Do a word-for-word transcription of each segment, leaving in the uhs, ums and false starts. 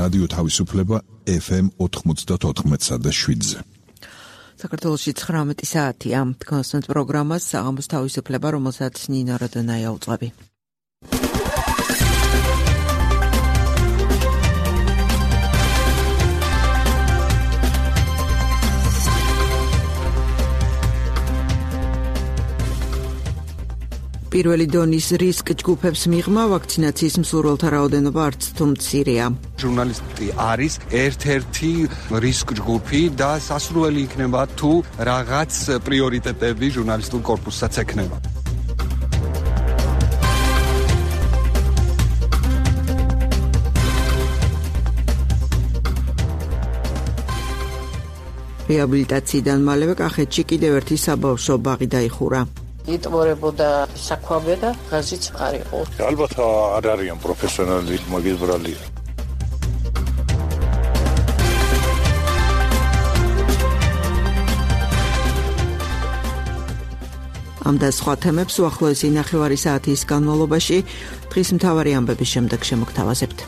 რადიო თავისუფლება ეფ ემ ოთხმოცდაოთხ და შვიდზე. საქართველოში ცხრამეტი საათია. კონსტანტ პროგრამას საღამოს თავისუფლება, რომელსაც ნინო როდონაია უწყები. პირველი დონის რისკ ჯგუფებს მიღმა ვაქცინაციის მსურველთა რაოდენობა არც თუ მცირეა. ჟურნალისტი არის ერთ-ერთი რისკ ჯგუფი და სასურველი იქნება თუ რაღაც პრიორიტეტები ჟურნალისტულ კორპუსსაც ექნება. რეაბილიტაციიდან მალევე კახეთში კიდევ ერთი საბავშვო ბაღი დაიხურა. იტყორებოდა საქვაბე და ღაზიც არ იყო. ალბათ არ არიან პროფესიონალი მაგისტრალი. ამ და სხვა თემებს უახლოესი ნახევარი საათის განმავლობაში დღის მთავარი ამბების შემდეგ შემოგთავაზებთ.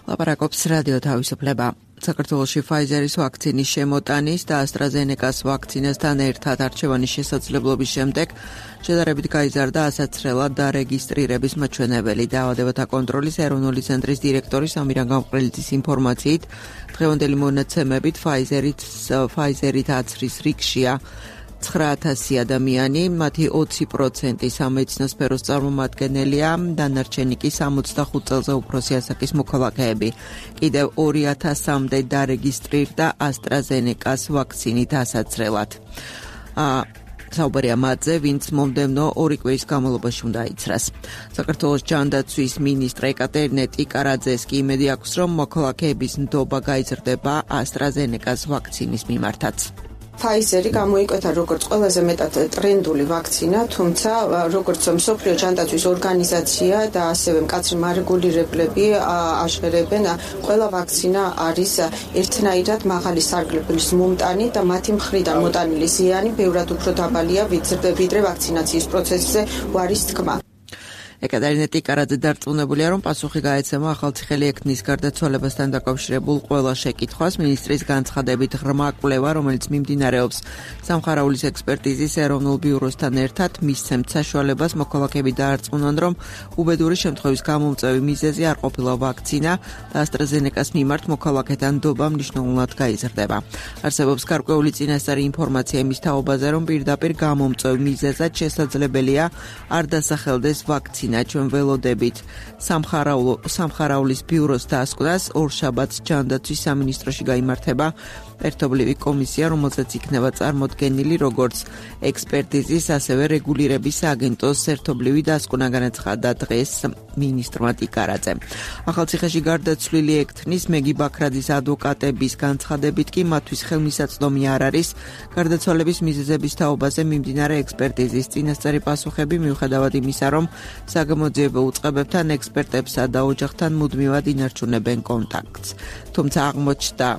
ლაპარაკობს რადიო თავისუფლება. საქართველოში ფაიზერის ვაქცინის შემოტანის და ასტრაზენეკას ვაქცინასთან ერთად არჩევანის შესაძლებლობის შემდეგ შედარებით გაიზარდა ასაცრელად დარეგისტრირების მაჩვენებელი. დაავადებათა კონტროლის ეროვნული ცენტრის დირექტორის ამირან გამყრელიძის ინფორმაციით, დღევანდელი მონაცემებით ფაიზერით ფაიზერით აცრის რიგშია ცხრა ათასი ადამიანი, მათი ოცი პროცენტი სამედიცინო სფეროს წარმომადგენელია, დანარჩენი კი სამოცდახუთ წელზე უფროსი ასაკის მოქალაქეები. კიდევ ორი ათასამდე დარეგისტრირდა ასტრაზენეკას ვაქცინით ასაცრელად. საუბარია მათზე, ვინც მომდევნო ორი კვირის განმავლობაში უნდა აიცრას. საქართველოს ჯანდაცვის მინისტრ ეკატერინე ტიკარაძეს კი იმედი აქვს, რომ მოქალაქეების ნდობა გაიზრდება ასტრაზენეკას ვაქცინის მიმართაც. ფაიზერი გამოიკვეთა როგორც ყველაზე მეტად ტრენდული ვაქცინა, თუმცა როგორც მსოფლიო ჯანდაცვის ორგანიზაცია და ასევე მკაცრი მარეგულირებლები აშერებენ, ყველა ვაქცინა არის ერთნაირად მაღალი სარგებლობის მომტანი და მათი მხრიდან მოტანილი ზიანი ბევრად უფრო დაბალია ვიდრე ვაქცინაციის პროცესზე უარის თქმა. ეკატერინე ტიკარაძე დარწმუნებულია, რომ პასუხი გაეცემა ახალციხელი ექნის გარდაცვალებასთან დაკავშირებულ ყველა შეკითხვას. მინისტრის განცხადებით ღრმა კვლევა, რომელიც მიმდინარეობს სამხარაულის ექსპერტიზის ეროვნულ ბიუროსთან ერთად, მისცემთ საშუალებას მოქალაქეები დაარწმუნონ, რომ უბედური შემთხვევის გამომწვევი მიზეზი არ ყოფილა ვაქცინა და ასტრაზენეკას მიმართ მოქალაქეთა ნდობა მნიშვნელოვნად გაიზრდება. არსებობს გარკვეული წინასწარი ინფორმაცია იმის თაობაზე, რომ პირდაპირ გამომწვევ მიზეზად შესაძლებელია არ დასახელდეს ვაქცინა. ჩვენ ველოდებით სამხარაულის ბიუროს დასკვნას ორშაბათს ჯანდაცვის სამინისტროში გაიმართება ერთობლივი კომისია, რომელზეც იქნება წარმოდგენილი როგორც ექსპერტიზის, ასევე რეგულირების სააგენტოს ერთობლივი დასკვნა, განაცხადა დღეს მინისტრმა ტიკარაძემ. ახალციხეში გარდაცვლილი ექთნის მეგი ბაქრაძის ადვოკატების განცხადებით კი მათთვის ხელმისაწვდომი არ არის გარდაცვალების მიზეზების თაობაზე მიმდინარე ექსპერტიზის წინასწარი პასუხები, მიუხედავად იმისა, რომ საგამოძიებო უწყებებთან, ექსპერტებსა და ოჯახთან მუდმივად ინარჩუნებენ კონტაქტს. თუმცა აღმოჩნდა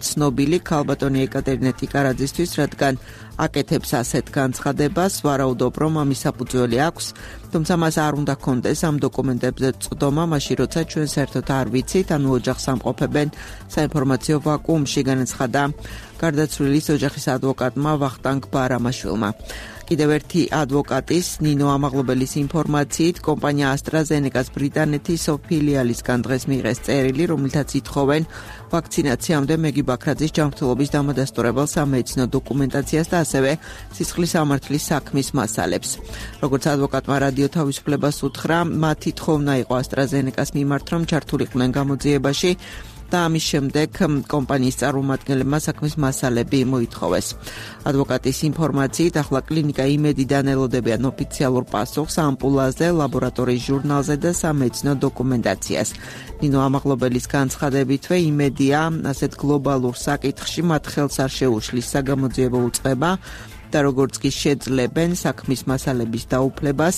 ცნობილი ქალბატონი ეკატერინე ტიკარაძისთვის, რადგან აკეთებს ასეთ განცხადებას, ვარაუდობ, რომ ამის საფუძველი აქვს, თუმცა მას არ უნდა ჰქონდეს ამ დოკუმენტებზე წვდომა, მაშინ როცა ჩვენ საერთოდ არ ვიცით, ანუ ოჯახს ამყოფებენ საინფორმაციო ვაკუუმში, განაცხადა გარდაცვლილის ოჯახის ადვოკატმა ვახტანგ ბარამაშვილმა. კიდევ ერთი ადვოკატის ნინო ამაღლობელის ინფორმაციით, კომპანია ასტრაზენეკას ბრიტანეთის ფილიალისგან დღეს მიიღეს წერილი, რომლითაც ითხოვენ ვაქცინაციამდე მეგი ბაქრაძის ჯანმრთელობის დამადასტურებელ სამედიცინო დოკუმენტაციას და ასევე სისხლის სამართლის საქმის მასალებს. როგორც ადვოკატმა რადიო თავისუფლებას უთხრა, მათი თხოვნა იყო ასტრაზენეკას მიმართ, რომ ჩართულიყვნენ გამოძიებაში და ამის შემდეგ კომპანიის წარმომადგენლებმა საქმის მასალები მოითხოვეს. ადვოკატის ინფორმაციით, ახლა კლინიკა იმედიდან ელოდებიან ოფიციალურ პასუხს ამპულაზე, ლაბორატორიის ჟურნალზე და სამედიცინო დოკუმენტაციას. ნინო ამაღლობელის განცხადებითვე იმედია ასეთ გლობალურ საკითხში მათ ხელს არ შეუშლის საგამოძიებო უწყება და როგორც კი შეძლებენ საქმის მასალების დაუფლებას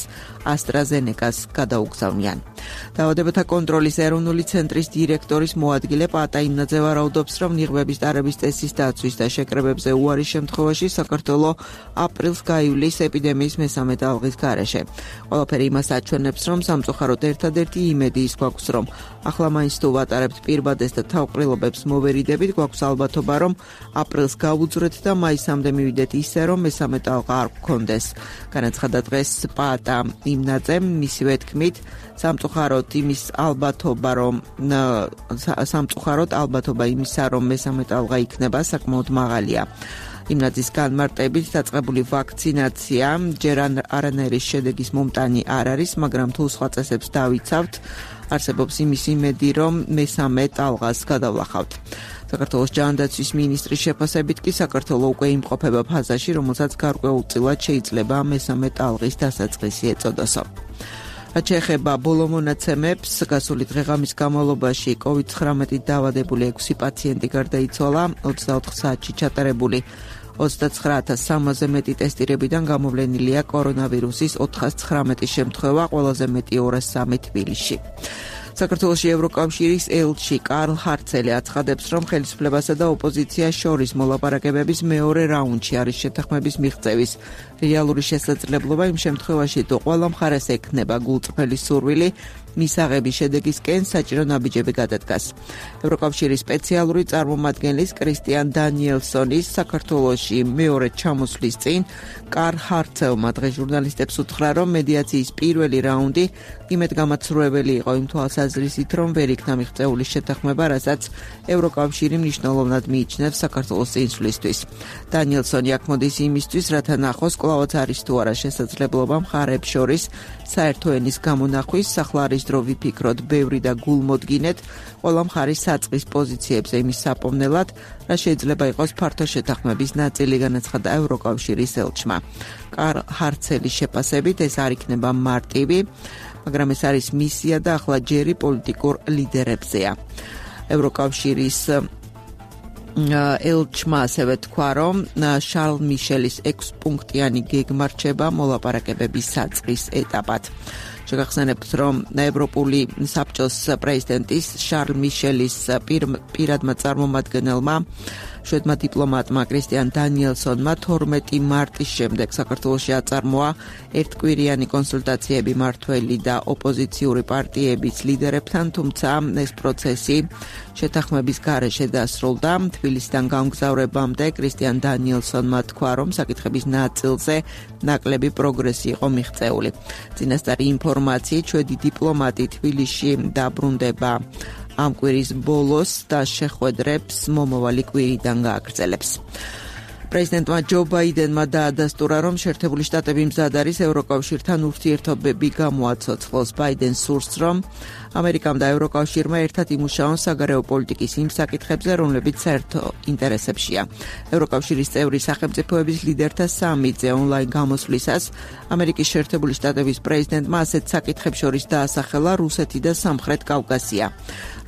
ასტრაზენეკას გადაუგზავნიან. დაავადებათა კონტროლის ეროვნული ცენტრის დირექტორის მოადგილე პატა იმნაძე ვარაუდობს, რომ ნიღბების ტარების წესის დაცვის და შეკრებებზე უარის შემთხვევაში საქართველო აპრილს გაივლის ეპიდემიის მესამე ტალღის გარეშე. ყველაფერი იმას აჩვენებს, რომ სამწუხაროდ ერთადერთი იმედი ის გვაქვს, რომ ახლა მაინც თუ ვატარებთ პირბადეს და თავყრილობებს მოვერიდებით, გვაქვს ალბათობა, რომ აპრილს გავუძვრეთ და მაისამდე მივიდეთ ისე, რომ მესამე ტალღა არ გქონდეს. განაცხადა დღეს პატა იმნაძემ, მისივე თქმით, სამწუხაროდ იმის ალბათობა, რომ სამწუხაროდ ალბათობა იმისა, რომ მესამე ტალღა იქნება, საკმაოდ მაღალია. იმნაძის განმარტებით დაწყებული ვაქცინაცია ჯერ არანაირი შედეგის მომტანი არ არის, მაგრამ თუ სხვა წესებს დავიცავთ, არსებობს იმის იმედი, რომ მესამე ტალღას გადავლახავთ. საქართველოს ჯანდაცვის მინისტრის შეფასებით კი საქართველო უკვე იმყოფება ფაზაში, რომელსაც გარკვეულწილად შეიძლება მესამე ტალღის დასაწყისი ეწოდოსო. რაც შეეხება ბოლო მონაცემებს, გასული დღე-ღამის განმავლობაში კოვიდ ცხრამეტით დაავადებული ექვსი პაციენტი გარდაიცვალა, ოცდაოთხ საათში ჩატარებული ოცდაცხრა ათას სამასზე მეტი ტესტირებიდან გამოვლენილია კორონავირუსის ოთხას ცხრამეტი შემთხვევა, ყველაზე მეტი ორას სამი თბილისში. საქართველოში ევროკავშირის ელჩი კარლ ჰარცელი აცხადებს, რომ ხელისუფლებასა და ოპოზიციას შორის მოლაპარაკებების მეორე რაუნდში არის შეთანხმების მიღწევის რეალური შესაძლებლობა იმ შემთხვევაში, თუ ყველა მხარეს ექნება გულწრფელი სურვილი მისაღების შედეგისკენ საჭირო ნაბიჯები გადადგას. ევროკავშირის სპეციალური წარმომადგენლის კრისტიან დანიელსონის საქართველოში მეორე ჩამოსვლის წინ კარლ ჰარცელმა დღეს ჟურნალისტებს უთხრა, რომ მედიაციის პირველი რაუნდი იმედგამაცრუებელი იყო იმ თვალსაზრისით, რომ ვერ იქნა მიღწეული შეთანხმება, რასაც ევროკავშირი მნიშვნელოვნად მიიჩნევს საქართველოს წინსვლისთვის. დანიელსონი აქ მოდის იმისთვის, რათა ნახოს, კვლავაც არის თუ არა შესაძლებლობა მხარეებს შორის საერთო ენის გამონახვის, ახლა არის დრო ვიფიქროთ ბევრი და გულმოდგინეთ ყველა მხარის საწყის პოზიციებზე იმის საპოვნელად, რა შეიძლება იყოს ფართო შეთანხმების ნაწილი, განაცხადა ევროკავშირის ელჩმა. კარლ ჰარცელის შეფასებით ეს არ იქნება მარტივი, მაგრამ ეს არის მისია და ახლა ჯერი პოლიტიკურ ლიდერებზეა. ევროკავშირის ელჩმა ასევე თქვა, რომ შარლ მიშელის ექვსპუნქტიანი გეგმა რჩება მოლაპარაკებების საწყის ეტაპად. შეგახსენებთ, რომ ევროპული საბჭოს პრეზიდენტის შარლ მიშელის პირადმა წარმომადგენელმა შვედმა დიპლომატმა კრისტიან დანიელსონმა თორმეტი მარტის შემდეგ საქართველოში აწარმოა ერთკვირიანი კონსულტაციები მმართველი და ოპოზიციური პარტიების ლიდერებთან, თუმცა ეს პროცესი შეთანხმების გარეშე დასრულდა. თბილისიდან გამგზავრებამდე კრისტიან დანიელსონმა თქვა, რომ საკითხების ნაწილზე ნაკლები პროგრესი იყო მიღწეული. წინასწარი ინფორმაციით, შვედი დიპლომატი თბილისში დაბრუნდება ამ კვირის ბოლოს და შეხვედრებს მომავალი კვირიდან გააგრძელებს. პრეზიდენტმა ჯო ბაიდენმა დაადასტურა, რომ შეერთებული შტატები მზად არის ევროკავშირთან ურთიერთობები გამოაცოცხლოს. ბაიდენ სურს, რომ ამერიკამ და ევროკავშირმა ერთად იმუშაონ საგარეო პოლიტიკის იმ საკითხებზე, რომლებიც საერთო ინტერესებშია. ევროკავშირის წევრი სახელმწიფოების ლიდერთა სამიტზე ონლაინ გამოსვლისას ამერიკის შეერთებული შტატების პრეზიდენტმა ასეთ საკითხებს შორის დაასახელა რუსეთი და სამხრეთ კავკასია.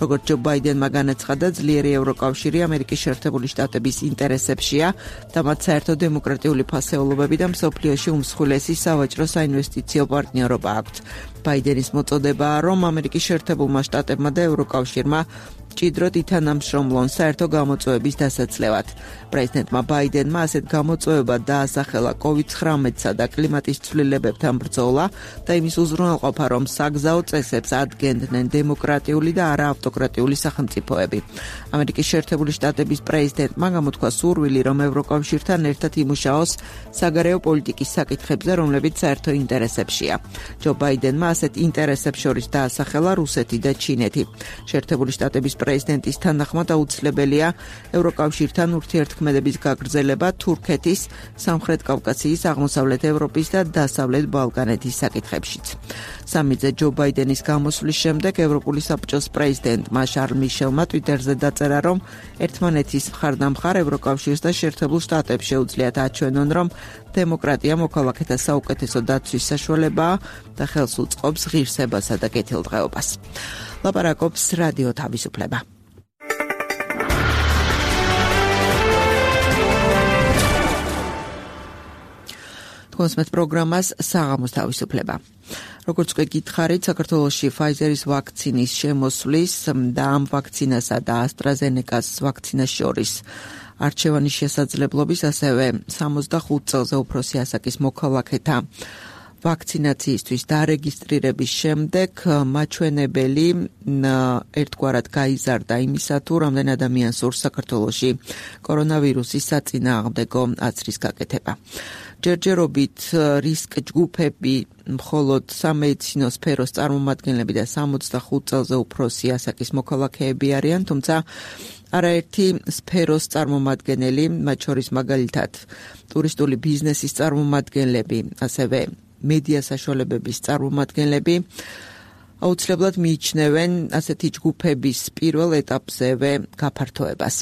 როგორც ჯო ბაიდენმა განაცხადა, ძლიერი ევროკავშირი ამერიკის შეერთებული შტატების ინტერესებშია და მათ საერთო დემოკრატიული ფასეულობები და მსოფლიოში უმსხვილესი სავაჭრო საინვესტიციო პარტნიორობა აქვთ. ბაიდენის მოწოდებაა, რომ ამერიკის შეერთებულმა შტატებმა და ევროკავშირმა ჭიდროდ ითანამშრომლონ საერთო გამოწვევების დასაცლევად. პრეზიდენტმა ბაიდენმა ასეთ გამოწვევებად დაასახელა კოვიდ ცხრამეტსა და კლიმატის ცვლილებებთან ბრძოლა და იმის უზრუნველყოფა, რომ საგზაო წესებს ადგენდნენ დემოკრატიული და არაავტოკრატიული სახელმწიფოები. ამერიკის შეერთებული შტატების პრეზიდენტმა გამოთქვა სურვილი, რომ ევროკავშირთან ერთად იმუშაოს საგარეო პოლიტიკის საკითხებზე, რომლებიც საერთო ინტერესებშია. ჯო ბაიდენმა ასეთ ინტერესებს შორის დაასახელა რუსეთი და ჩინეთი. შეერთებული შტატების პრეზიდენტის თანახმად აუცილებელია ევროკავშირთან ურთიერთქმედების გაგრძელება თურქეთის, სამხრეთ კავკასიის, აღმოსავლეთ ევროპის და დასავლეთ ბალკანეთის საკითხებშიც. სამიტზე ჯო ბაიდენის გამოსვლის შემდეგ ევროპული საბჭოს პრეზიდენტმა შარლ მიშელმა ტვიტერზე დაწერა, რომ ერთმანეთის მხარდამხარ ევროკავშირს და შეერთებულ შტატებს შეუძლიათ აჩვენონ, რომ დემოკრატია მოქალაქეთა საუკეთესო დაცვის საშუალებაა და ხელს უწყობს ღირსებასა და კეთილდღეობას. ლაპარაკობს რადიო თავისუფლება. თქვენს პროგრამას საღამოს თავისუფლება. როგორც უკვე გითხარით, საქართველოში Pfizer-ის ვაქცინის შემოსვლის და ამ ვაქცინასა და AstraZeneca-ს ვაქცინას შორის არჩევანის შესაძლებლობის, ასევე სამოცდახუთ წელზე უფროსი ასაკის მოქალაქეთა ვაქცინაციისთვის დარეგისტრირების შემდეგ მაჩვენებელი ერთგვარად გაიზარდა იმისა, თუ რამდენ ადამიანს სურს საქართველოში კორონავირუსის საწინააღმდეგო აცრის გაკეთება. ჯერჯერობით რისკ ჯგუფები მხოლოდ სამედიცინო სფეროს წარმომადგენლები და სამოცდახუთ წელზე უფროსი ასაკის მოქალაქეები არიან, თუმცა არაერთი სფეროს წარმომადგენელი, მათ შორის მაგალითად ტურისტული ბიზნესის წარმომადგენლები, ასევე მედია საშუალებების წარმომადგენლები აუცილებლად მიიჩნევენ ასეთი ჯგუფების პირველ ეტაპზევე გაფართოებას.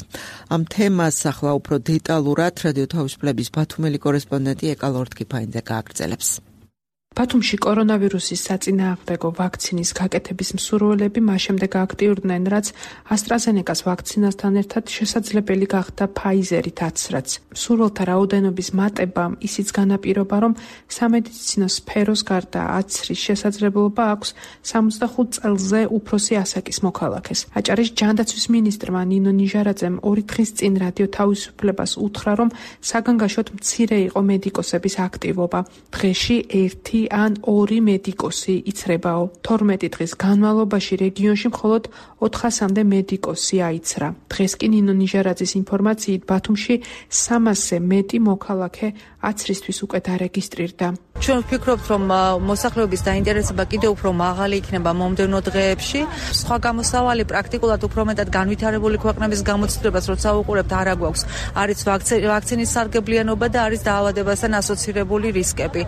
ამ თემას ახლა უფრო დეტალურად რადიო თავისუფლების ბათუმელი კორესპონდენტი ეკა ლორთქიფაინძე გააგრძელებს. ბათუმში კორონავირუსის საწინააღმდეგო ვაქცინის გაკეთების მსურველები მას შემდეგ აქტიურდნენ, რაც AstraZeneca-ს ვაქცინასთან ერთად შესაძლებელი გახდა Pfizer-ით აცრაც. მსურველთა რაოდენობის მატებამ ისიც განაპირობა, რომ სამედიცინო სფეროს გარდა აცრის შესაძლებლობა აქვს სამოცდახუთ წელზე უფროსი ასაკის მოქალაქეს. აჭარის ჯანდაცვის მინისტრმა ნინო ნიჟარაძემ ორი დღის წინ რადიო თავისუფლებას უთხრა, რომ საგანგაშოდ მცირე იყო მედიკოსების აქტივობა. დღეში ერთი ან ორი მედიკოსი იცრებაო. თორმეტი დღის განმავლობაში რეგიონში მხოლოდ ოთხასამდე მედიკოსი აიცრა. დღეს კი ნინო ნიჟარაძის ინფორმაციით ბათუმში სამასზე მეტი მოქალაქე აცრისთვის უკვე დარეგისტრირდა. ჩვენ ვფიქრობთ, რომ მოსახლეობის დაინტერესება კიდევ უფრო მაღალი იქნება მომდევნო დღეებში. სხვა გამოსავალი პრაქტიკულად უფრო მეტად განვითარებული ქვეყნების გამოცდილებას როცა უყურებთ, არა გვაქვს. არის ვაქცინის სარგებლიანობა და არის დაავადებასთან ასოცირებული რისკები.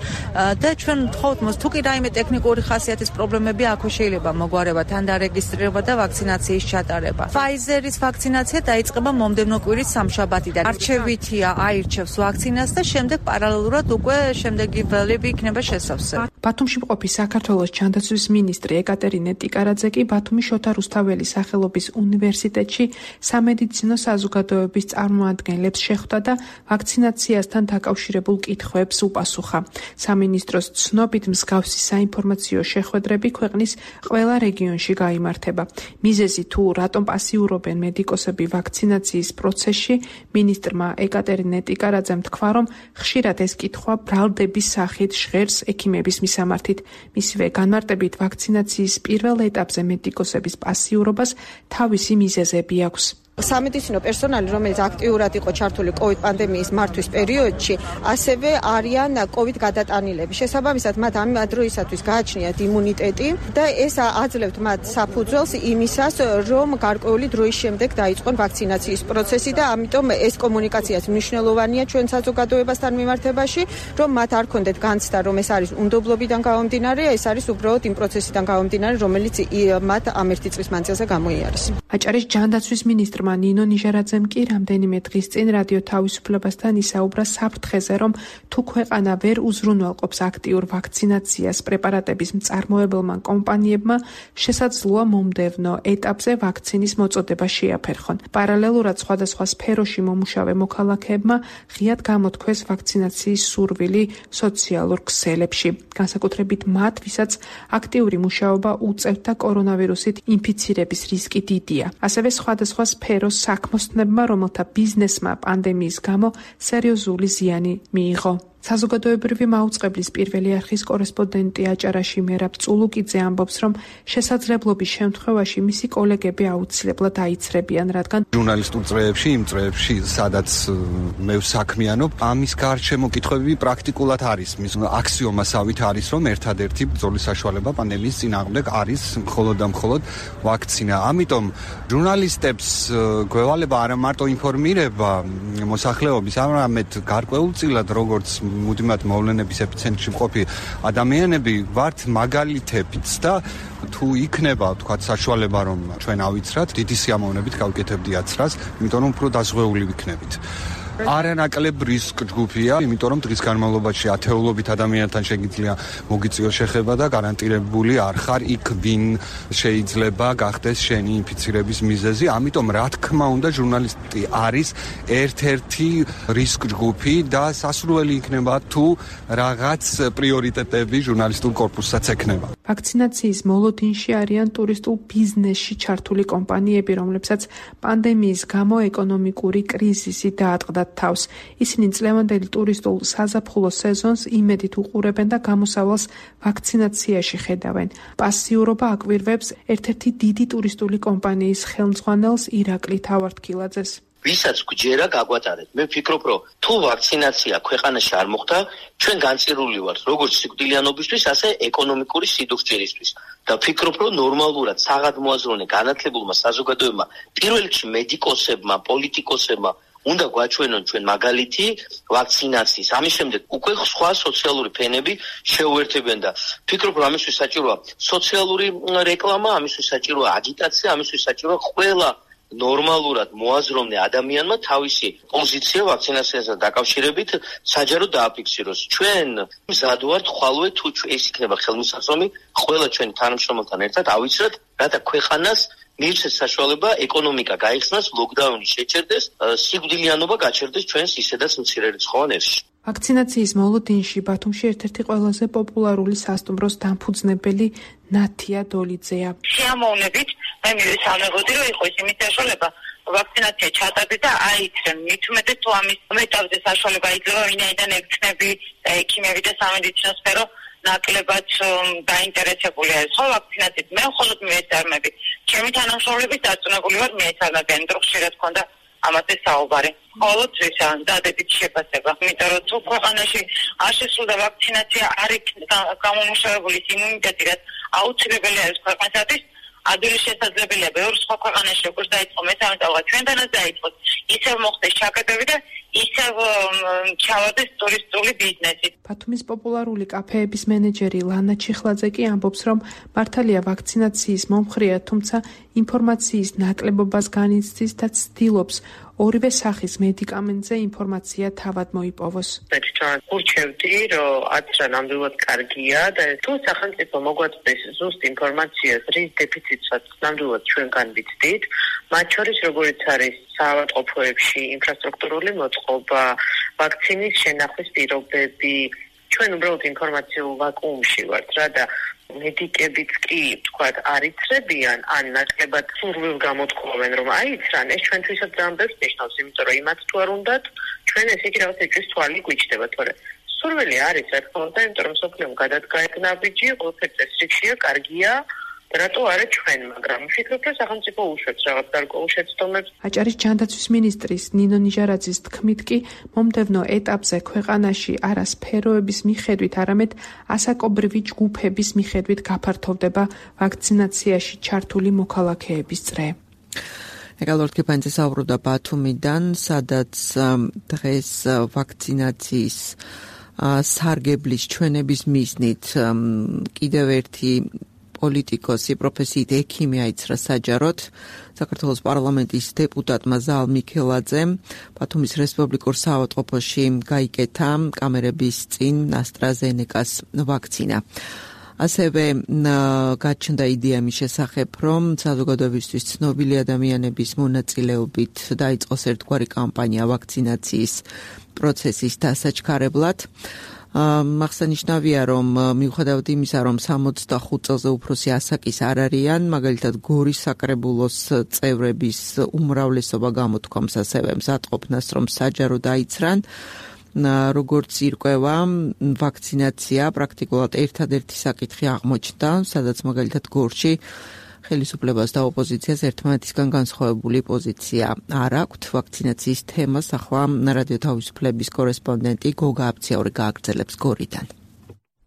და ჩვენ ვთხოვთ მას, თუ კი რაიმე ტექნიკური ხასიათის პრობლემები აქვს, შეიძლება მოგვარება თან დარეგისტრირება და ვაქცინაციის ჩატარება. Pfizer-ის ვაქცინაცია დაიწყება მომდევნო კვირის სამშაბათიდან. არჩევითია აირჩევს ვაქცინას და შემდეგ პარალელურად უკვე შემდეგი ველები იქნება შესავსე. ბათუმში მყოფი საქართველოს ჯანდაცვის მინისტრი ეკატერინე ტიკარაძე კი ბათუმის შოთა რუსთაველის სახელობის უნივერსიტეტში სამედიცინო საზოგადოების წარმომადგენლებს შეხვდა და ვაქცინაციასთან დაკავშირებულ კითხვებს უპასუხა. სამინისტროს ცნობით მსგავსი საინფორმაციო შეხვედრები ქვეყნის ყველა რეგიონში გაიმართება. მიზეზი თუ რატომ პასიურობენ მედიკოსები ვაქცინაციის პროცესში, მინისტრმა ეკატერინე ტიკარაძემ თქვა, რომ ხშირად ეს კითხვა ბრალდების სახით ჟღერს ექიმების მისამართით. მისივე განმარტებით ვაქცინაციის პირველ ეტაპზე მედიკოსების პასიურობას თავისი მიზეზები აქვს. სამედიცინო პერსონალი, რომელიც აქტიურად იყო ჩართული COVID პანდემიის მართვის პერიოდში, ასევე არიან COVID გადატანილები. შესაბამისად, მათ ამ დროისათვის გააჩნიათ იმუნიტეტი და ეს აძლევთ მათ საფუძველს იმისას, რომ გარკვეული დროის შემდეგ დაიწყონ ვაქცინაციის პროცესი და ამიტომ ეს კომუნიკაციაც მნიშვნელოვანია ჩვენ საზოგადოებასთან მიმართებაში, რომ მათ არ ქონდეთ განცდა, რომ ეს არის უნდობლობიდან გამომდინარე, ეს არის უბრალოდ იმ პროცესიდან გამომდინარე, რომელიც მათ ამ ერთი წლის მანძილზე გამოიარეს. აჭარის ჯანდაცვის მინისტრმა ნინო ნიჟარაძემ კი რამდენიმე დღის წინ რადიო თავისუფლებასთან ისაუბრა საფრთხეზე, რომ თუ ქვეყანა ვერ უზრუნველყოფს აქტიურ ვაქცინაციას პრეპარატების მწარმოებელმა კომპანიებმა, შესაძლოა მომდევნო ეტაპზე ვაქცინის მოწოდება შეაფერხონ. პარალელურად სხვადასხვა სფეროში მომუშავე მოქალაქეებმა ღიად გამოთქვეს ვაქცინაციის სურვილი სოციალურ ქსელებში. განსაკუთრებით მათ, ვისაც აქტიური მუშაობა უწევთ და კორონავირუსით ინფიცირების რისკი დიდია. ასევე სხვადასხვა სფეროს საქმოსნებმა, რომელთა ბიზნესმა პანდემიის გამო სერიოზული ზიანი მიიღო. საზოგადოებრივი მაუწყებლის პირველი არხის კორესპონდენტი აჭარაში მერაბ წულუკიძე ამბობს, რომ შესაძლებლობის შემთხვევაში მისი კოლეგები აუცილებლად აიცრებიან, რადგან ჟურნალისტურ წრეებში, იმ წრეებში, სადაც მე ვსაქმიანობ, ამის გარშემო კითხვები პრაქტიკულად არის. მის აქსიომასავით არის, რომ ერთადერთი ბრძოლის საშუალება პანდემიის წინააღმდეგ არის მხოლოდ და მხოლოდ ვაქცინა. ამიტომ ჟურნალისტებს გვევალება არა მარტო ინფორმირება მოსახლეობის, არამედ გარკვეულწილად როგორც მუდმივად მოვლენების ეპიცენტრში მყოფი ადამიანები ვართ მაგალითებიც და თუ იქნება თქვა საშუალება რომ ჩვენ ავიცრათ, დიდი სიამოვნებით გავკეთებდი აცრას, იმიტომ რომ უფრო დაზღვეული ვიქნებით. არანაკლებ რისკ ჯგუფია, იმიტომ რომ დღის განმავლობაში ათეულობით ადამიანთან შეგიძლია მოგიწიოს შეხება და გარანტირებული არ ხარ იქ, ვინ შეიძლება გახდეს შენი ინფიცირების მიზეზი. ამიტომ რა თქმა უნდა ჟურნალისტი არის ერთ-ერთი რისკ ჯგუფი და სასურველი იქნება თუ რაღაც პრიორიტეტები ჟურნალისტურ კორპუსსაც ექნება. ვაქცინაციის მოლოდინში არიან ტურისტულ ბიზნესში ჩართული კომპანიები, რომლებსაც პანდემიის გამო ეკონომიკური კრიზისი დაატყდათ თავს. ისინი წლევანდელი ტურისტულ საზაფხულო სეზონს იმედით უყურებენ და გამოსავალს ვაქცინაციაში ხედავენ. პასიურობა აკვირვებს ერთ-ერთი დიდი ტურისტული კომპანიის ხელმძღვანელს ირაკლი თავართქილაძეს. ვისაც გჯერა გაგვატარეთ. მე ვფიქრობ, რომ თუ ვაქცინაცია ქვეყანაში არ მოხდა, ჩვენ განწირული ვართ როგორც სიკვდილიანობისთვის, ასე ეკონომიკური სიდუხჭერისთვის. და ვფიქრობ, რომ ნორმალურად საღადმოაზროვნე განათლებულმა საზოგადოებმა, პირველ რიგში მედიკოსებმა, პოლიტიკოსებმა უნდა გვაჩვენონ ჩვენ მაგალითი ვაქცინაციის. ამის შემდეგ უკვე სხვა სოციალური ფენები შეუერთებენ და ვფიქრობ, რომ ამისთვის საჭიროა სოციალური რეკლამა, ამისთვის საჭიროა აგიტაცია, ამისთვის საჭიროა ყველა ნორმალურად მოაზროვნე ადამიანმა თავისი პოზიცია ვაქცინაციასთან დაკავშირებით საჯარო დააფიქსიროს. ჩვენ მზად ვართ ხვალვე თუ ეს იქნება ხელმისაწვდომი ყველა ჩვენი თანამშრომელთან ერთად ავიცრათ, რათა ქვეყანას მიირჩეს საშუალება ეკონომიკა გაიხსნას, ლოკდაუნი შეჩერდეს, სიკვდილიანობა გაჩერდეს ჩვენს ისედაც მცირერიცხოვან ერში. ვაქცინაციის მოლოდინში ბათუმში ერთ-ერთი ყველაზე პოპულარული სასტუმროს დამფუძნებელი ნათია დოლიძეა. Შეამოვნებით მე მივესალმებოდი, რომ იყო იმის საშუალება ვაქცინაცია ჩატარდეს და აიცრენ. მით უმეტეს თუ ამის მეტავზე საშუალება იძლევა, ვინაიდან ექიმები, ექიმები და სამედიცინო სფერო ნაკლებად დაინტერესებული არის ხო ვაქცინაციით. მე მხოლოდ მიესალმები. ჩემი თანამშრომლების დაწუნებული ვარ მიესალმებიან, რომ ხშირად ქონდა ამაზე საუბარი. მხოლოდ ისა დადებით შეფასება. იმიტომ რომ თუ ქვეყანაში არ შესრულდა ვაქცინაცია, არ იქნება გამომუშავებული იმუნიტეტი, რაც აუცილებელი არის ქვეყნისათვის, ადვილი შესაძლებელია ბევრ სხვა ქვეყანაში როგორც დაიწყო მესამე ტალღა ჩვენთანაც დაიწყოს, ისევ მოხდეს ჩაკეტები და ისევ ჩავარდეს ტურისტული ბიზნესი. ბათუმის პოპულარული კაფეების მენეჯერი ლანა ჩიხლაძე კი ამბობს, რომ მართალია ვაქცინაციის მომხრეა, თუმცა ინფორმაციის ნაკლებობას განიცდის და ცდილობს ორივე სახის მედიკამენტზე ინფორმაცია თავად მოიპოვოს. ვურჩევდი, რომ აცრა ნამდვილად კარგია და თუ სახელმწიფო მოგვაწვდის ზუსტ ინფორმაციას, რის დეფიციტსაც ნამდვილად ჩვენგან ვიცდით, მათ შორის როგორც არის საავადმყოფოებში ინფრასტრუქტურული მოწყობა, ვაქცინის შენახვის პირობები, ჩვენ უბრალოდ ინფორმაციულ ვაკუუმში ვართ რა და მედიკებიც კი თქვათ არ იცრებიან, ან ნაკლებად სურვილ გამოთქვამენ, რომ აიცრან, ეს ჩვენთვისაც ძალიან ბევრს ნიშნავს, იმიტომ რომ იმათ თუ არ უნდათ, ჩვენ ესე იგი რაღაც ეჭვის თვალი გვიჩნდება, თორე სურვილი არის, რა თქმა უნდა, იმიტომ რომ სოფლიომ გადადგა ეგ ნაბიჯი, ყველაფერი წესრიგშია, კარგია. რატო არა ჩვენ, მაგრამ ვფიქრობ, რომ სახელმწიფო უშვებს რაღაც გარკვეულ შეცდომებს. აჭარის ჯანდაცვის მინისტრის ნინო ნიჟარაძის თქმით კი მომდევნო ეტაპზე ქვეყანაში არა სფეროების მიხედვით, არამედ ასაკობრივი ჯგუფების მიხედვით გაფართოვდება ვაქცინაციაში ჩართული მოქალაქეების წრე. ეკალორთ კიპანძე საუბრობდა ბათუმიდან, სადაც დღეს ვაქცინაციის სარგებლის ჩვენების მიზნით კიდევ ერთი პოლიტიკოსი, პროფესიით ექიმი აიცრა საჯაროდ. საქართველოს პარლამენტის დეპუტატმა ზალ მიქელაძემ ბათუმის რესპუბლიკურ საავადმყოფოში გაიკეთა კამერების წინ AstraZeneca-ს ვაქცინა. ასევე გაჩნდა იდეა მის შესახებ, რომ საზოგადოებისთვის ცნობილი ადამიანების მონაწილეობით დაიწყოს ერთგვარი კამპანია ვაქცინაციის პროცესის დასაჩქარებლად. აღსანიშნავია, რომ მიუხედავად იმისა, რომ სამოცდახუთ წელზე უფროსი ასაკის არ არიან, მაგალითად გორის საკრებულოს წევრების უმრავლესობა გამოთქვამს ასევე მზადყოფნას, რომ საჯარო დაიცრან. როგორც ირკვევა, ვაქცინაცია პრაქტიკულად ერთადერთი საკითხი აღმოჩნდა, სადაც მაგალითად გორში ხელისუფლებას და ოპოზიციას ერთმანეთისგან განსხვავებული პოზიცია არ აქვთ. ვაქცინაციის თემას ახლა რადიო თავისუფლების კორესპონდენტი გოგა აფციაური გააგრძელებს გორიდან.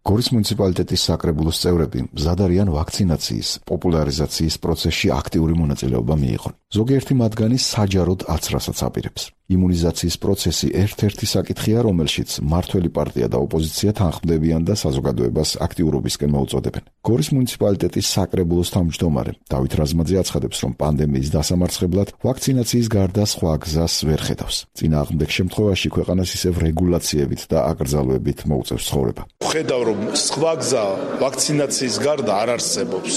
გორის მუნიციპალიტეტის საკრებულოს წევრები მზად არიან ვაქცინაციის პოპულარიზაციის პროცესში აქტიური მონაწილეობა მიიღონ. ზოგიერთი მათგანი საჯაროდ აცრასაც აპირებს. იმუნიზაციის პროცესი ერთ-ერთი საკითხია, რომელშიც მმართველი პარტია და ოპოზიცია თანხმდებიან და საზოგადოებას აქტიურობისკენ მოუწოდებენ. გორის მუნიციპალიტეტის საკრებულოს თავმჯდომარე დავით რაზმაძე აცხადებს, რომ პანდემიის დასამარცხებლად ვაქცინაციის გარდა სხვა გზას ვერ ხედავს. წინააღმდეგ შემთხვევაში ქვეყანას ისევ რეგულაციებით და აკრძალვებით მოუწევს ცხოვრება. ხედავ, რომ სხვა გზა ვაქცინაციის გარდა არ არსებობს.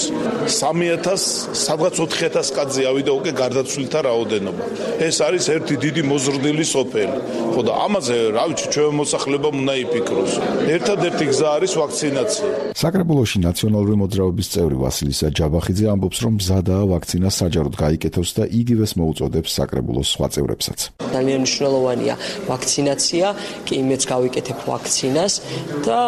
სამი ათას, სადღაც ოთხი ათას კაცი ავიდა უკვე გარდაცვლილთა რაოდენობა. ეს არის ერთი დიდი მოზრდილი სოფელი. ხო და ამაზე, რა ვიცი, ჩვენ მოსახლებამ უნდა იფიქროს. ერთადერთი გზა არის ვაქცინაცია. საკრებულოში ნაციონალური მოძრაობის წევრი ვასილისა ჯაბახიძე ამბობს, რომ მზადაა ვაქცინა საჯაროდ გაიკეთოს და იგივეს მოუწოდებს საკრებულოს სხვა წევრებსაც. ძალიან მნიშვნელოვანია ვაქცინაცია, კი იმეც გავიკეთებ ვაქცინას და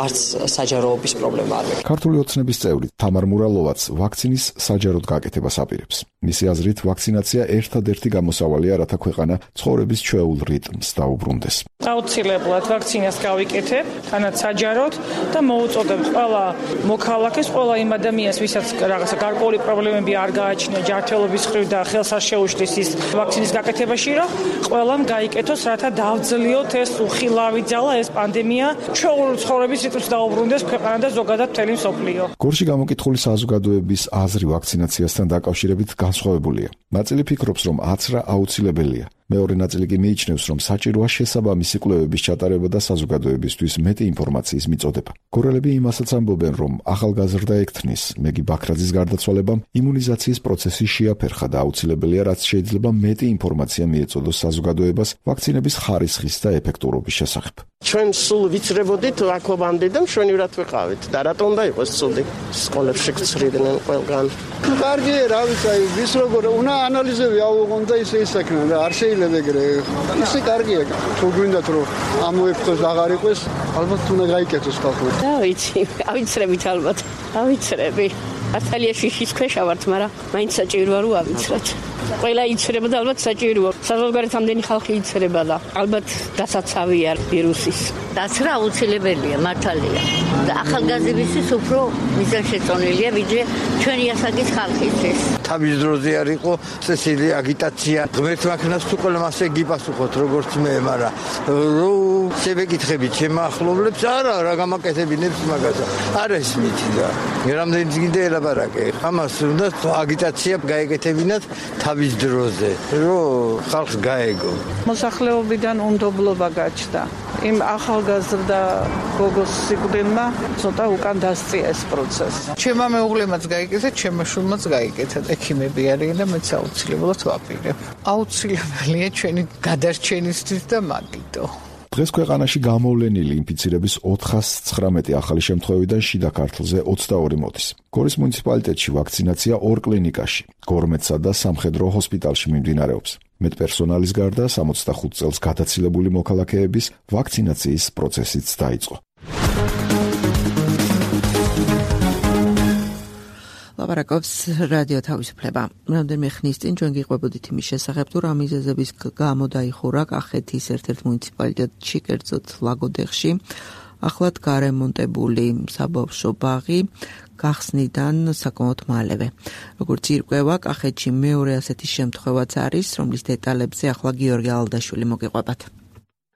არც საჯაროობის პრობლემა არ მექნება. ქართული ოცნების წევრი თამარ მურალოვაც ვაქცინის საჯაროდ გაკეთებას აპირებს. მისი აზრით, ვაქცინაცია ერთადერთი გამოსავალია, რათა ქვეყანა ცხოვრების ჩვეულ რიტმს დაუბრუნდეს. აუცილებლად ვაქცინას გავიკეთებ, თანაც საჯაროდ და მოუწოდებ ყველა მოქალაქეს, ყველა იმ ადამიანს, ვისაც რაღაცა გარკვეული პრობლემები არ გააჩნია ჯანმრთელობის მხრივ და ხელს არ შეუშლის ის ვაქცინის გაკეთებაში, რომ ყველამ გაიკეთოს, რათა დავძლიოთ ეს უხილავი ძალა, ეს პანდემია, ჩვეულ ცხოვრების რიტმს დაუბრუნდეს ქვეყანა და ზოგადად მთელი მსოფლიო. გორში გამოკითხული საზოგადოების აზრი ვაქცინაციასთან დაკავშირებით განსხვავებულია. ნაწილი ფიქრობს, რომ აცრა აუცილებელია. მეორე ნაწილი კი მიიჩნევს, რომ საჭიროა შესაბამისი კვლევების ჩატარება და საზოგადოებისთვის მეტი ინფორმაციის მიწოდება. გორელები იმასაც ამბობენ, რომ ახალგაზრდა ექთნის მეგი ბაქრაძის გარდაცვალებამ იმუნიზაციის პროცესი შეაფერხა და აუცილებელია, რაც შეიძლება მეტი ინფორმაცია მიეწოდოს საზოგადოებას ვაქცინების ხარისხის და ეფექტურობის შესახებ. ჩვენ სულ ვიცრებოდით აქობამდე და მშვენივრად ვიყავით და რატომ უნდა იყოს ცუდი? სკოლებში გწრიდნენ ყველგან. კარგია, რა ვიცი, ვის როგორ უნდა ანალიზები ავიღონ და ისე ისაკნან და არ შეიძლება ეგრე. ისე კარგია, თუ გვინდათ რომ ამოიფრთხოს აღარ იყოს, ალბათ უნდა გაიკეთოს ხალხო. და ვიცი, ავიცრებით ალბათ. ავიცრები. ართალიაში შიშის ქვეშ ვართ, მაგრამ მაინც საჭიროა რომ ავიცრათ. ყველა იცრება და ალბათ საჭიროა. საზოგადოებრივ ამდენი ხალხი იცრება და ალბათ დასაცავია ვირუსის. დაცრა აუცილებელია, მართალია. და ახალგაზრდებისთვის უფრო მიზანშეწონილია, ვიდრე ჩვენი ასაკის ხალხისთვის. თავის დროზე არ იყო წესილი აგიტაცია. ღმერთმა ქნას თუ ყველა მასე გიპასუხოთ, როგორც მე, მაგრამ რო შევეკითხებით ჩემ ახლობლებს, არა, რა გამაკეთებინებს მაგაზე. არა ის მითი და რამდენი გინდა ელაპარაკე. ამას უნდა აგიტაცია გაეკეთებინათ თავის დროზე, რომ ხალხს გაეგო. მოსახლეობიდან უნდობლობა გაჩნდა. იმ ახალგაზრდა გოგოს სიკვდილმა ცოტა უკან დასწია ეს პროცესი. ჩემმა მეუღლემაც გაიკეთა, ჩემმა შვილმაც გაიკეთა. ექიმები არიან და მეც აუცილებლად ვაპირებ. აუცილებელია ჩვენი გადარჩენისთვის და მაგიტო. დღეს ქვეყანაში გამოვლენილი ინფიცირების ოთხას ცხრამეტი ახალი შემთხვევიდან შიდა ქართლზე ოცდაორი მოდის. გორის მუნიციპალიტეტში ვაქცინაცია ორ კლინიკაში, გორმეთსა და სამხედრო ჰოსპიტალში მიმდინარეობს. მეტპერსონალის გარდა სამოცდახუთ წელს გადაცილებული მოქალაქეების ვაქცინაციის პროცესიც დაიწყო. ლაპარაკობს რადიო თავისუფლება. რამდენიმე ხნის წინ ჩვენ გიყვებოდით იმის შესახებ, თუ რა მიზეზების გამო დაიხურა კახეთის ერთ-ერთ მუნიციპალიტეტში, კერძოდ ლაგოდეხში, ახლად გარემონტებული საბავშვო ბაღი გახსნიდან საკმაოდ მალევე. როგორც ირკვევა, კახეთში მეორე ასეთი შემთხვევაც არის, რომლის დეტალებზე ახლა გიორგი ალდაშვილი მოგიყვებათ.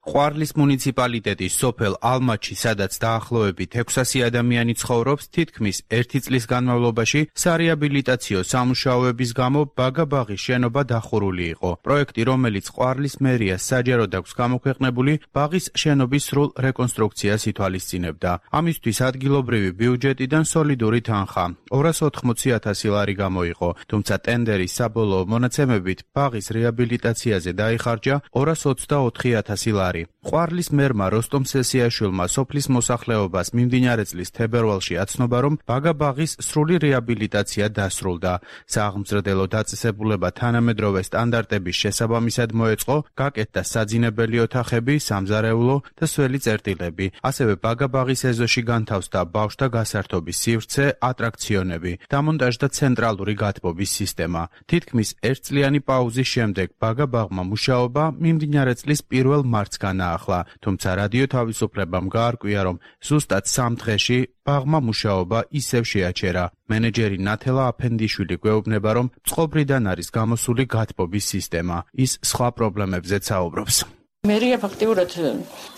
ყვარლის მუნიციპალიტეტის სოფელ ალმაჩი, სადაც დაახლოებით ექვსასი ადამიანი ცხოვრობს, თითქმის ერთი წლის განმავლობაში სარეაბილიტაციო სამუშაოების გამო ბაგა-ბაღის შენობა დახურული იყო. პროექტი, რომელიც ყვარლის მერიას საჯაროდ აქვს გამოქვეყნებული, ბაღის შენობის სრულ რეკონსტრუქციას ითვალისწინებდა. ამისთვის ადგილობრივი ბიუჯეტიდან სოლიდური თანხა ორას ოთხმოცი ათასი ლარი გამოიყო, თუმცა ტენდერის საბოლოო მონაცემებით ბაღის რეაბილიტაციაზე დაიხარჯა ორას ოცდაოთხი ათასი ლარი. ყვარლის მერმა როსტომ სესიაშვილმა სოფლის მოსახლეობას მიმდინარე წლის თებერვალში აცნობა, რომ ბაგა-ბაღის სრული რეაბილიტაცია დასრულდა. სააღმზრდელო დაწესებულება თანამედროვე სტანდარტების შესაბამისად მოეწყო, გაკეთდა საძინებელი ოთახები, სამზარეულო და სველი წერტილები. ასევე ბაგა-ბაღის ეზოში განთავსდა ბავშვთა გასართობის სივრცე, ატრაქციონები, დამონტაჟდა ცენტრალური გათბობის სისტემა. თითქმის ერთწლიანი პაუზის შემდეგ ბაგა-ბაღმა მუშაობა მიმდინარე წლის პირველ მარტს განაახლა, თუმცა რადიო თავისუფლებამ გაარკვია, რომ ზუსტად სამ დღეში ბაღმა მუშაობა ისევ შეაჩერა. მენეჯერი ნათელა აფენდიშვილი გვეუბნება, რომ წყობრიდან არის გამოსული გათბობის სისტემა. ის სხვა პრობლემებზეც საუბრობს. მერია ფაქტიურად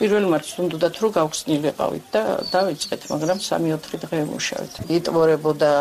პირველ მარტს უნდათ რომ გავხსნილიყავით და დავიწყეთ, მაგრამ სამი-ოთხი დღე ვმუშავეთ. იტბორებოდა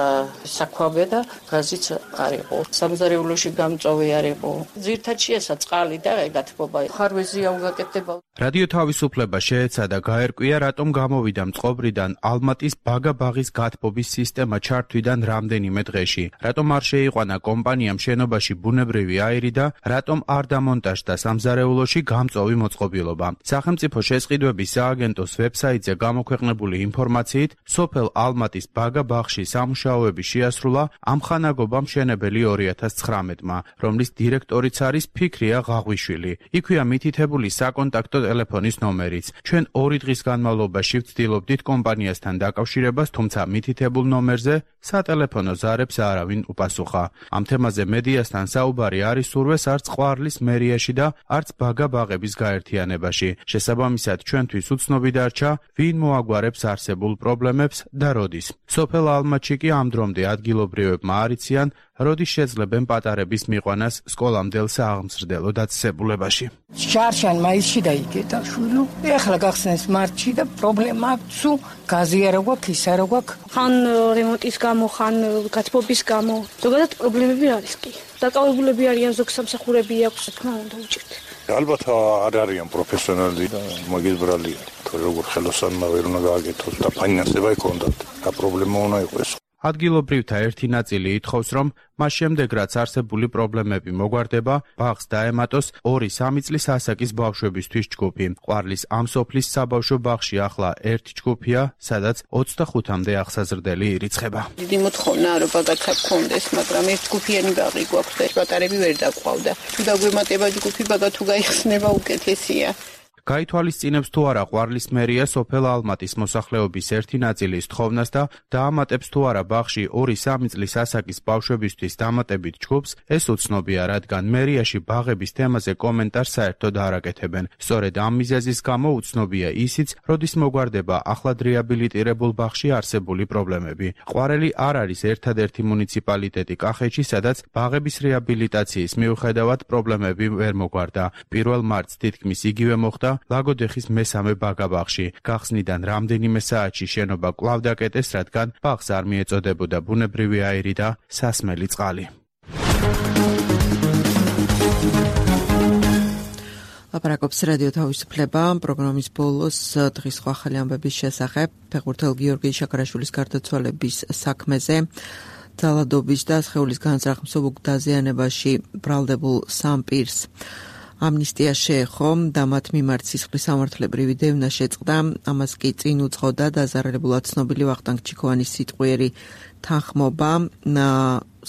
საქვაბე და გაზიც არ იყო. სამზარეულოში გამწოვი არ იყო. ძირთადში ესა წყალი და გათბობა. ხარვეზია უგაკეთდება. რადიო თავისუფლება შეეცადა გაერკვია, რატომ გამოვიდა მწყობრიდან ალმატის ბაგა-ბაღის გათბობის სისტემა ჩართვიდან რამდენიმე დღეში. რატომ არ შეიყვანა კომპანიამ შენობაში ბუნებრივი აირი და რატომ არ დამონტაჟდა სამზარეულოში გამწოვი მოწყობილობა. სახელმწიფო შესყიდვების სააგენტოს ვებსაიტზე გამოქვეყნებული ინფორმაციით, სოფელ ალმატის ბაგა-ბაღში სამუშაოები შეასრულა ამხანაგობა მშენებელი ორი ათას ცხრამეტმა, რომლის დირექტორიც არის ფიქრია ღაღვიშვილი. იქვეა მითითებული საკონტაქტო ტელეფონის ნომერიც. ჩვენ ორი დღის განმავლობაში ვცდილობდით კომპანიასთან დაკავშირებას, თუმცა მითითებულ ნომერზე სატელეფონო ზარებს არავინ უპასუხა. ამ თემაზე მედიასთან საუბარი არ ისურვეს არც ყვარლის მერიაში და არც ბაგა-ბაღების გაერთიანებაში. შესაბამისად, ჩვენთვის უცნობი დარჩა, ვინ მოაგვარებს არსებულ პრობლემებს და როდის. სოფელ ალმატში კი ამ დრომდე ადგილობრივებმა არ იციან, როდის შეძლებენ პატარების მიყვანას სკოლამდელ სააღმზრდელო დაწესებულებაში. შარშან მაისში დაიგეთა შვილო. ეხლა გახსნეს მარტში და პრობლემა სულ გაზი არ აქვს, ის არ აქვს. ხან რემონტის გამო, ხან გათბობის გამო. ზოგადად პრობლემები არის კი. დაკავებულები არიან, ზოგ სამსახურები აქვს, თქმა უნდა უჭირთ. ალბათ არ არიან პროფესიონალი და მაგისტრალია. თორე როგორ ხელოსანმა ვერ უნდა გააკეთოს და ფინანსება იქონდათ. და პრობლემა უნდა იყოს. ადგილობრივთა ერთი ნაწილი ითხოვს, რომ მას შემდეგ რაც არსებული პრობლემები მოგვარდება, ბაღს დაემატოს ორი-სამი წლის ასაკის ბავშვებისთვის ჯგუფი. ყვარლის ამ სოფლის საბავშვო ბაღში ახლა ერთი ჯგუფია, სადაც ოცდახუთამდე აღსაზრდელი ირიცხება. დიდი მოთხოვნა რომ ბაგაცა გქონდეს, მაგრამ ერთ ჯგუფიანი ბაღი გვაქვს და პატარები ვერ დაყვავდა. თუ დაგვემატება ჯგუფი, ბაგა თუ გაიხსნება უკეთესია. გაითვალისწინებს თუ არა ყვარლის მერია სოფელ ალმატის მოსახლეობის ერთი ნაწილის თხოვნას და დაამატებს თუ არა ბაღში ორი-სამი წლის ასაკის ბავშვებისთვის დამატებით ჯგუფს, ეს უცნობია, რადგან მერიაში ბაღების თემაზე კომენტარს საერთოდ არ აკეთებენ. სწორედ ამ მიზეზის გამო უცნობია ისიც, როდის მოგვარდება ახლად რეაბილიტირებულ ბაღში არსებული პრობლემები. ყვარელი არ არის ერთადერთი მუნიციპალიტეტი კახეთში, სადაც ბაღების რეაბილიტაციის მიუხედავად პრობლემები ვერ მოგვარდა. პირველ მარტს თითქმის იგივე მოხდა ლაგოდეხის მესამე ბაგა-ბაღში. გახსნიდან რამდენიმე საათში შენობა კვლავ დაკეტეს, რადგან ბაღს არ მიეწოდებოდა ბუნებრივი აირი და სასმელი წყალი. ლაპარაკობს რადიო თავისუფლება, პროგრამის ბოლოს დღის სხვა ახალი ამბების შესახებ ფეხბურთელ გიორგი შაქარაშვილის გარდაცვალების საქმეზე. ძალადობის და სხეულის განზრახ მსუბუქ დაზიანებაში ბრალდებულ სამ პირს ამნისტია შეეხო და მათ მიმართ სისხლის სამართლებრივი დევნა შეწყდა. ამას კი წინ უძღოდა დაზარალებულად ცნობილი ვახტანგ ჩიქოვანის სიტყვიერი თანხმობა.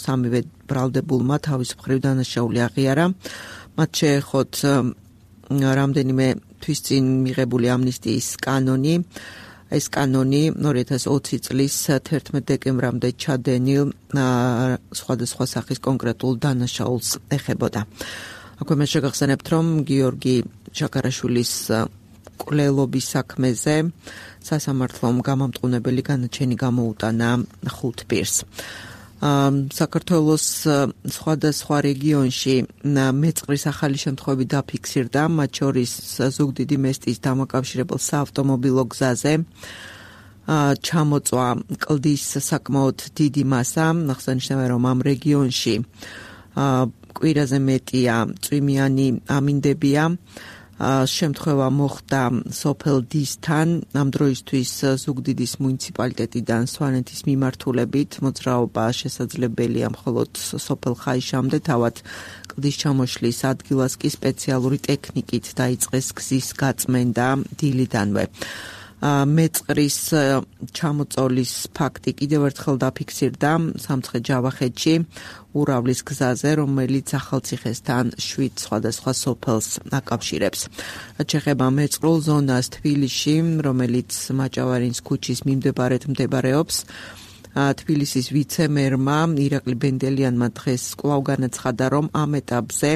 სამივე ბრალდებულმა თავის მხრივ დანაშაული აღიარა. მათ შეეხოთ რამდენიმე თვის წინ მიღებული ამნისტიის კანონი. ეს კანონი ორი ათას ოცი წლის თერთმეტ დეკემბრამდე ჩადენილ სხვადასხვა სახის კონკრეტულ დანაშაულს ეხებოდა. აქვე მე შეგახსენებთ, რომ გიორგი შაქარაშვილის კვლელობის საქმეზე სასამართლომ გამამტყუნებელი განაჩენი გამოუტანა ხუთ პირს. საქართველოს სხვადასხვა რეგიონში მეწყრის ახალი შემთხვევები დაფიქსირდა, მათ შორის ზუგდიდი მესტის დამაკავშირებელ საავტომობილო გზაზე ჩამოწვა კლდის საკმაოდ დიდი მასა. აღსანიშნავია, რომ ამ რეგიონში კვირაზე მეტია წვიმიანი ამინდებია. შემთხვევა მოხდა სოფელ დისთან, ამ დროისთვის ზუგდიდის მუნიციპალიტეტიდან სვანეთის მიმართულებით მოძრაობა შესაძლებელია მხოლოდ სოფელ ხაიშამდე, თავად კლდის ჩამოშლის ადგილას კი სპეციალური ტექნიკით დაიწყეს გზის გაწმენდა დილიდანვე. მეწყრის ჩამოწოლის ფაქტი კიდევ ერთხელ დაფიქსირდა სამცხე-ჯავახეთში ურავლის გზაზე, რომელიც ახალციხესთან შვიდ სხვადასხვა სოფელს აკავშირებს. რაც შეეხება მეწყრულ ზონას თბილისში, რომელიც მაჭავარინის ქუჩის მიმდებარედ მდებარეობს, თბილისის ვიცე-მერმა ირაკლი ბენდელიანმა დღეს კვლავ განაცხადა, რომ ამ ეტაპზე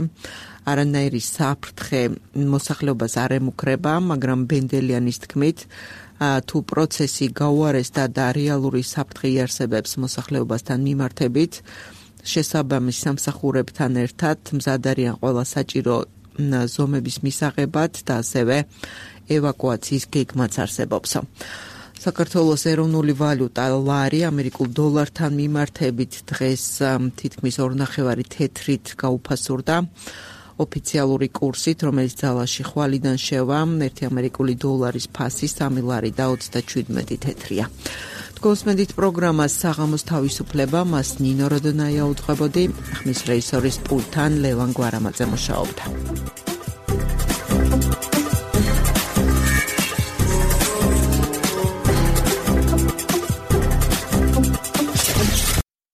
არანაირი საფრთხე მოსახლეობას არ ემუქრება, მაგრამ ბენდელიანის თქმით, თუ პროცესი გაუარესდა და რეალური საფრთხე იარსებებს მოსახლეობასთან მიმართებით, შესაბამის სამსახურებთან ერთად მზად არიან ყველა საჭირო ზომების მისაღებად და ასევე ევაკუაციის გეგმაც არსებობს. საქართველოს ეროვნული ვალუტა ლარი ამერიკულ დოლართან მიმართებით დღეს თითქმის ორნახევარი თეთრით გაუფასურდა. ოფიციალური კურსით, რომელიც ძალაში ხვალიდან შევა, ერთი ამერიკული დოლარის ფასი სამი ლარი და ოცდაჩვიდმეტი თეთრია. გოსმედით პროგრამას საღამოს თავისუფლება, მას ნინო როდონაია უძღვებოდი, ხმის რეჟისორის პულტთან ლევან გვარამაძე მუშაობდა.